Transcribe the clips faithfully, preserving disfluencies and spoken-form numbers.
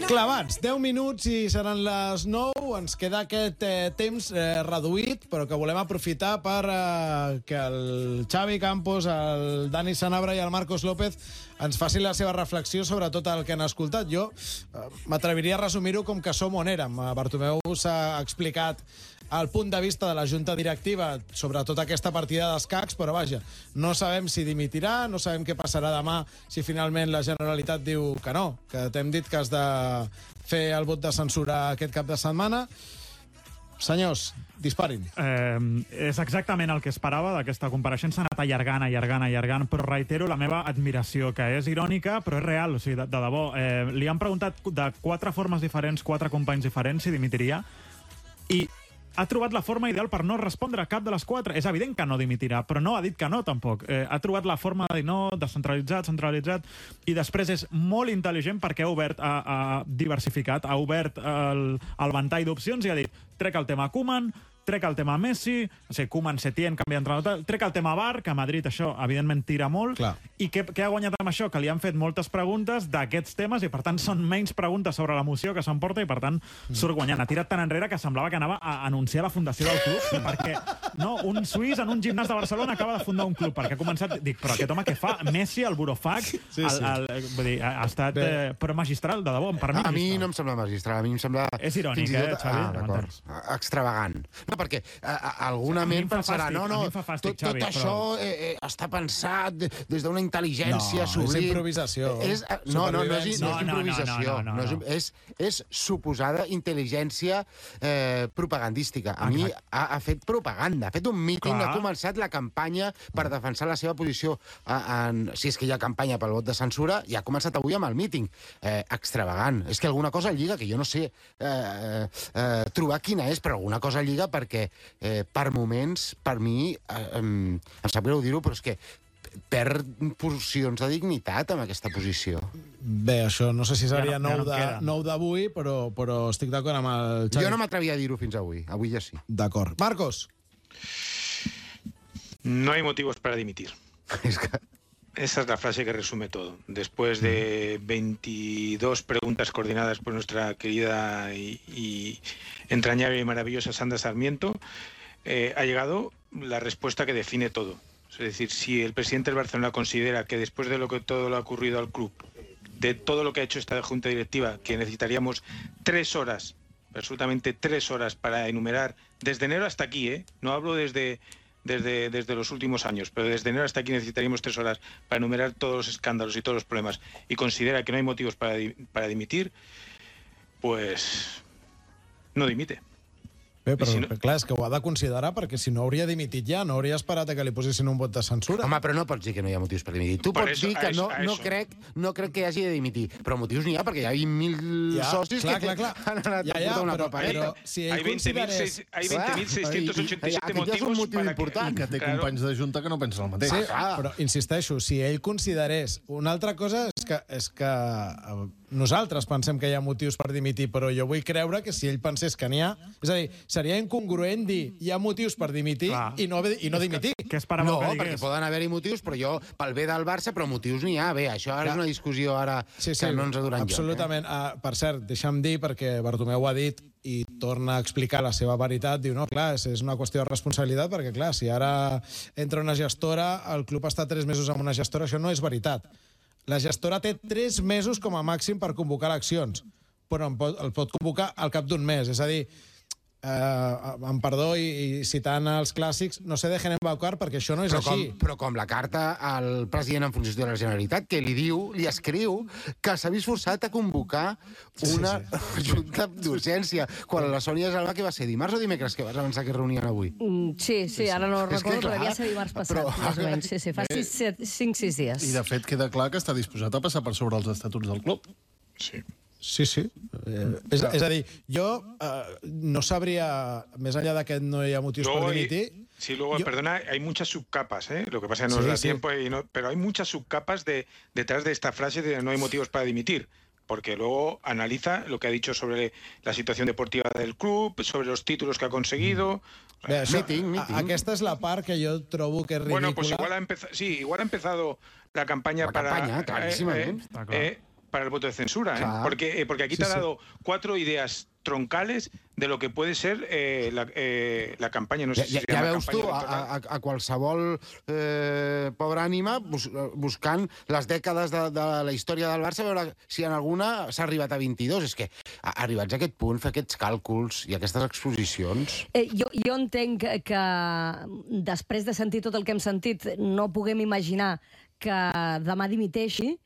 Clavats, deu minuts i seran les nou. Ens queda aquest eh, temps eh, reduït, però que volem aprofitar per eh, que el Xavi Campos, el Dani Sanabra i el Marcos López ens facin la seva reflexió sobre tot el que han escoltat. Jo eh, m'atreviria a resumir-ho com que som on érem. Bartomeu s'ha explicat el punt de vista de la junta directiva sobre tota aquesta partida d'escacs, però vaja, no sabem si dimitirà, no sabem què passarà demà si finalment la Generalitat diu que no, que t'hem dit que has de fer el vot de censura aquest cap de setmana. Senyors, disparin. Eh, és exactament el que esperava d'aquesta compareixença. Ha anat allargant, allargant, allargant, però reitero la meva admiració, que és irònica, però és real, o sigui, de, de debò. Eh, li han preguntat de quatre formes diferents, quatre companys diferents, si dimitiria, i ha trobat la forma ideal per no respondre a cap de les quatre. És evident que no dimitirà, però no ha dit que no, tampoc. Eh, ha trobat la forma de dir no, descentralitzat, centralitzat, i després és molt intel·ligent perquè ha obert, ha, ha diversificat, ha obert el, el ventall d'opcions i ha dit, trec el tema Koeman, trec el tema Messi, o sigui, Koeman, Setién, canvia d'entrenador, trec el tema V A R, que a Madrid això, evidentment, tira molt. Clar. I què, què ha guanyat amb això? Que li han fet moltes preguntes d'aquests temes i, per tant, són menys preguntes sobre la moció que s'emporta i, per tant, surt guanyant. Ha tirat tan enrere que semblava que anava a anunciar la fundació del club, perquè no, un suís en un gimnàs de Barcelona acaba de fundar un club, perquè ha començat... Dic, però aquest home què fa? Messi, el burofax, sí, sí. El, el, vull dir, ha estat eh, però magistral, de debò, per mi. A mi no em sembla magistral, a mi em sembla... És irònic, eh, Xavi? Ah, d'acord. Extravagant. No, perquè a, a, alguna ment pensarà, no, no, fàstic, tot, tot Xavi, això però... eh, eh, està pensat des d'una intel·ligència no, sublim. És improvisació. És, no, no, no és, no és no, improvisació. no, no, no, no, no. no és, és suposada intel·ligència eh, propagandística. A mi ha, ha fet propaganda, ha fet un míting, Clar. ha començat la campanya per defensar la seva posició. En, si és que hi ha campanya pel vot de censura, i ha començat avui amb el míting. Eh, extravagant. És que alguna cosa lliga, que jo no sé eh, eh, trobar quina és, però alguna cosa lliga perquè Eh, per moments, per mi, eh, em, em sap greu dir-ho, però és que perd porcions de dignitat amb aquesta posició. Bé, això no sé si seria ja no, nou, ja no de, d'avui, però, però estic d'acord amb el Xavi. Jo no m'atrevia a dir-ho fins avui. Avui ja sí. D'acord. Marcos. No hay motivos para dimitir. És que... Esa es la frase que resume todo. Después de veintidós preguntas coordinadas por nuestra querida y, y entrañable y maravillosa Sandra Sarmiento, eh, ha llegado la respuesta que define todo. Es decir, si el presidente del Barcelona considera que después de lo que todo lo ha ocurrido al club, de todo lo que ha hecho esta junta directiva, que necesitaríamos tres horas, absolutamente tres horas para enumerar, desde enero hasta aquí, ¿eh? No hablo desde... Desde, desde los últimos años, pero desde enero hasta aquí necesitaríamos tres horas para enumerar todos los escándalos y todos los problemas, y considera que no hay motivos para, para dimitir, pues no dimite. Bé, però si no... clar, és que ho ha de considerar, perquè si no hauria dimitit ja, no hauria esperat que li posessin un vot de censura. Home, però no pots dir que no hi ha motius per dimitir. Tu per pots eso, dir que no, eso, no, crec, no crec que hagi de dimitir, però motius n'hi ha, perquè hi ha vint mil ja, socis clar, que clar, clar. han anat ja, a ja, portar una però, papereta. Però si ell hay considerés... veinte mil seiscientos ochenta y siete motivos motiu para important. que... que té claro. companys de junta que no pensen el mateix. Sí, ah, però insisteixo, si ell considerés... Una altra cosa és que, és que nosaltres pensem que hi ha motius per dimitir, però jo vull creure que si ell pensés que n'hi ha... És a dir, seria incongruent dir hi ha motius per dimitir i no, i no dimitir. Què esperàveu No, que perquè digués? poden haver-hi motius, però jo, pel bé del Barça, però motius n'hi ha. Bé, això ara és una discussió ara Sí, sí, que no ens ha donat absolutament. Lloc. Eh? Uh, per cert, deixa'm dir, perquè Bartomeu ho ha dit i torna a explicar la seva veritat, diu, no, clar, és, és una qüestió de responsabilitat, perquè, clar, si ara entra una gestora, el club està tres mesos amb una gestora, això no és veritat. La gestora té tres mesos com a màxim per convocar eleccions, però el pot, el pot convocar al cap d'un mes. És a dir, eh, amb perdó i, i citant els clàssics, no se dejen embaucar perquè això no és però així. Com, però com la carta al president en funció de la Generalitat, que li diu, li escriu, que s'ha vist forçat a convocar una sí, sí. junta d'urgència, quan la Sònia Salva, que va ser dimarts o dimecres que vas avançar que es reunien avui? Mm, sí, sí, ara no És recordo, que, clar, però devia ser dimarts passat, però... més o menys. Sí, sí, fa cinc sis dies. I, de fet, queda clar que està disposat a passar per sobre els estatuts del club. Sí. Sí, sí. Eh, és, és a dir, jo eh, no sabria, més enllà de que no hi ha motius luego per dimitir... Hay, sí, luego, yo... perdona, hay muchas subcapas, ¿eh? Lo que pasa es que no sí, nos da sí. tiempo, y no, pero hay muchas subcapas de, detrás de esta frase de no hay motivos para dimitir. porque luego analiza lo que ha dicho sobre la situación deportiva del club, sobre los títulos que ha conseguido. Bé, això, Meeting, meeting. a- aquesta és la part que jo trobo que és ridícula. Bueno, pues igual ha empezado, sí, igual ha empezado la campaña La para campaña, clarísimamente. Está claro. eh, para el voto de censura, ¿eh? Claro. porque eh, porque aquí Sí, te ha sí. dado cuatro ideas troncales de lo que puede ser eh, la, eh, la campaña. No sé Ja, si ja, se ja llama veus tu, campaña a, electoral. a, a qualsevol eh, pobra ànima bus, buscant les dècades de, de la història del Barça, a veure si en alguna s'ha arribat a vint-i-dos. És que, a- arribats a aquest punt, fer aquests càlculs i aquestes exposicions... Eh, jo, jo entenc que, que després de sentir tot el que hem sentit no puguem imaginar que demà dimiteixi,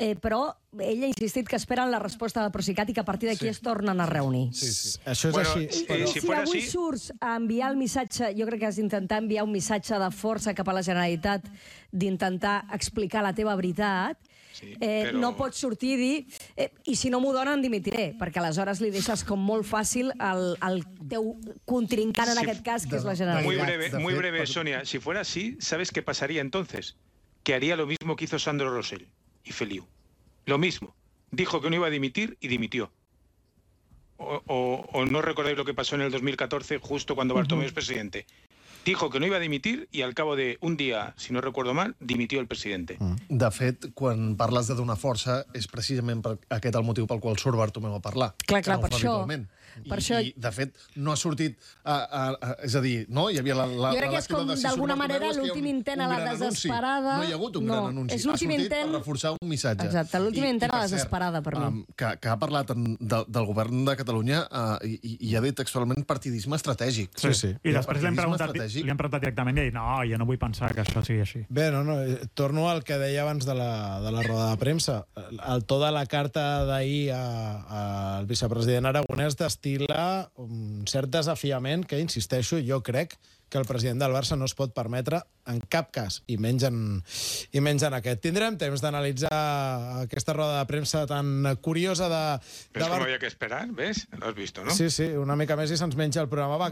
eh, però ell ha insistit que esperen la resposta del Procicat i que a partir d'aquí sí. es tornen a reunir. Sí, sí. Això és Bueno, així. eh, Però... I si si fuera avui así- surts a enviar el missatge, jo crec que has d'intentar enviar un missatge de força cap a la Generalitat, d'intentar explicar la teva veritat, Sí, eh, però- no pots sortir i dir eh, i si no m'ho donen dimitiré, perquè aleshores li deixes com molt fàcil al, al teu contrincant en Sí, aquest cas, que és la de- Generalitat. Muy de- breve, de muy fet, breve, per- Sonia. Si fuera así, ¿sabes qué pasaría entonces? Que haría lo mismo que hizo Sandro Rosell y Feliu. Lo mismo. Dijo que no iba a dimitir y dimitió. O, o- o no recordáis lo que pasó en el dos mil catorce, justo cuando Bartomeu es presidente. Dijo que no iba a dimitir y al cabo de un día, si no recuerdo mal, dimitió el presidente. De fet, quan parles de donar força, és precisament per aquest el motiu pel qual surt Bartomeu a parlar. Clar, clar, que no ho per fa això- habitualment. per I, això- I, de fet, no ha sortit... A, a, a, és a dir, no? Hi havia la, la, Jo crec la que és lectura com, de si d'alguna surt Bartomeu, manera, és que hi ha l'últim un- intent a un la gran anunci. desesperada. No hi ha hagut un No, gran anunci. és l'últim ha sortit intent- per reforçar un missatge. Exacte, l'últim intent a la per cert, desesperada, per mi. um, que, que ha parlat en, de, del govern de Catalunya uh, i, i ha dit textualment partidisme estratègic. Sí, sí. I després li han, Partidisme preguntat, estratègic. li han preguntat directament i ha dit no, jo no vull pensar que això sigui així. Bé, no, no, eh, torno al que deia abans de la, de la roda de premsa. El to de la carta d'ahir al vicepresident Aragonès destila un cert desafiament que, insisteixo, jo crec que el president del Barça no es pot permetre en cap cas, i menys en, i menys en aquest. Tindrem temps d'analitzar aquesta roda de premsa tan curiosa de... ¿Ves de cómo había que esperar? ¿Ves? Lo has visto, ¿no? Sí, sí, una mica més i se'ns menja el programa. Va,